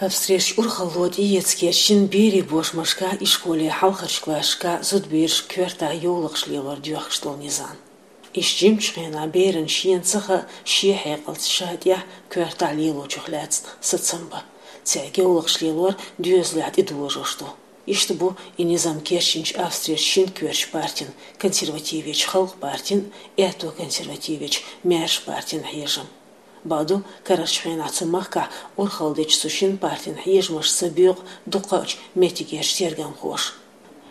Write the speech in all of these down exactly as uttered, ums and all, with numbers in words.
Австрерчу урхалло тӀеэца кечдина берийн бошмашкахь, ишколе хьалхарчу классашкахь зудабераш коьртахь йовлакхаш лелор доьхкуш долу низам. Иштта жимачу хенахь берана шена ца хаьа шен хьекъалца ша тӀехь коьртахь лелочух лаьцна сацам бан. Цаьрга йовлакхаш лелор доьзалехь тӀедожош ду. Иштта бу и низам кечдинчу Австрерчу шина коьртачу партин, консервативечу Халкъан партин, аьтто консервативечу Маьрша партин хьежам. Бакъду, карарчу хенахь цу махкахь урхалла дечу цу шина партин хьежамашца боькъу дукхачу меттигерчу тергамхоша.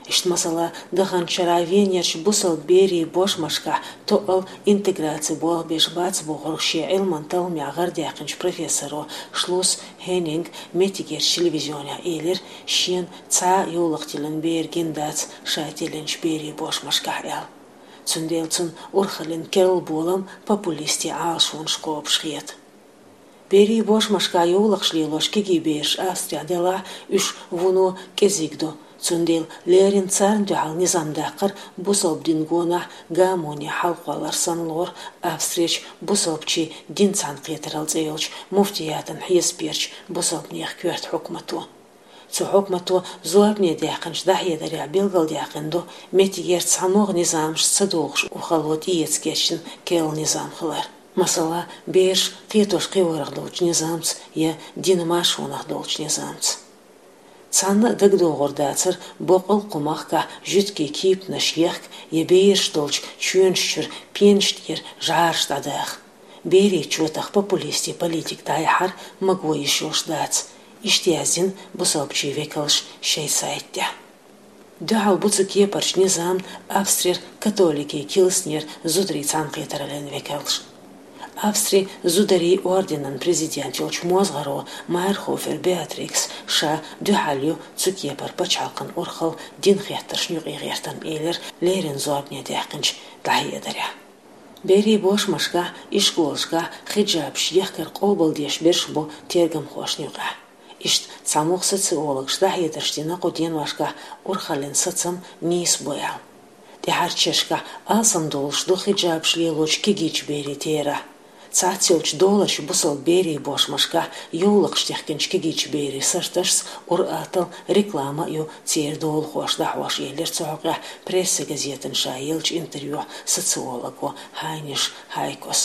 Иштта, масала, даханчу шарахь Венерчу бусалба берийн бошмашкахь тоъал интеграци болх беш бац бохург шен Ӏилманан талламехь гӀардаьккхинчу профессоро Шлус Хеннинга меттигерчу телевизионехь элира, шена цхьа а йовлакх тиллина бер гина дац ша тиллинчу берийн бошмашкахь аьлла. Цундела цунна урхаллин керла болам популистийн Ӏалашонаш кхобуш хета. Берийн бошмашкахь йовлакхаш лелош кегий бераш Австрехь делахь, уьш вуно кӀезиг ду. Цундела леррина царна дуьхьал низам даккхар бусалба динан гонахь гамоне хьалакхоллар санна лору Австрерчу бусалбачийн динан цхьаьнакхетаралла цӀе йолчу муфтиятан хьесапверчу бусалбанехан коьрта хьукмато. Цу хьукмато зорбане даьккхинчу дӀахьедарехь билгалдаьккхина ду, меттигерчу цхьа могӀа низамашца ца догӀуш урхалло тӀеэца кечдина керла низам хилар. Масала, бераш кхетош кхиорах долчу низамца я динан маршонах долчу низамца. Цхьанна а дагадогӀур дацара боккъал кху махкахь жуьгтийн кепанаш ехка я бераш долчу чоьнаш чуьра пенаш тӀера жӀараш дӀадаха. Берийн чотах популистийн политика дӀаяхьар маго йиш йолуш дац, иштта яздина бусалбачийн векалша шайн сайта тӀехь. Дуьхьал бу цу кепарчу низамна Австрера католикийн килснера зударийн цхьаьнакхетараллин векалша. Австрин зударийн орденан президент йолчу мозгӀаро Майерхофер Беатрикс ша дуьхьал ю цу кепара пачхьалкхан урхалла динан хеттаршна юкъа гӀертарна, элира леррина зорбане даьккхинчу дӀахьедарехь. Берийн бошмашкахь, ишколашкахь хиджабаш ехкар къобалдеш берш бу тергамхошна юкъахь. Иштта цхьа могӀа социологаша дӀахьедарш дина кху деношкахь урхаллин сацам нийса бу аьлла. ТӀаьхьарчу шерашкахь алсамдолуш ду хиджабаш лелочу кегийчу берийн терахь. Цхьацца йолчу доларчу бусалба берийн бошмашкахь йовлакхаш техкинчу кегийчу берийн сарташца ур-атталла реклама а ю церан долахоша дӀахьош, элира цу хьокъехь Прессе газетана ша еллачу интервьюхь социолого Хайниш Хайкос.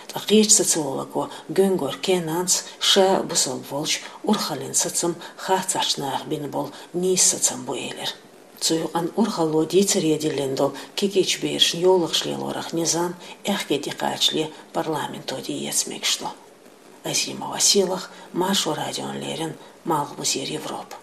Ткъа кхечу социолого Гуьнгор Кенанс ша бусалба волчу урхаллин сацам хацахьчу наха бина болу нийса сацам бу элира. Цу юкъана урхалло дийцаре диллина долу кегийчу берашна йовлакхаш лелорах низам аьхке тӀекхачале парламенто тӀеэца мегаш ду. Азимова Сийлаха, Маршо радиона леррина, Малхбузера Европа.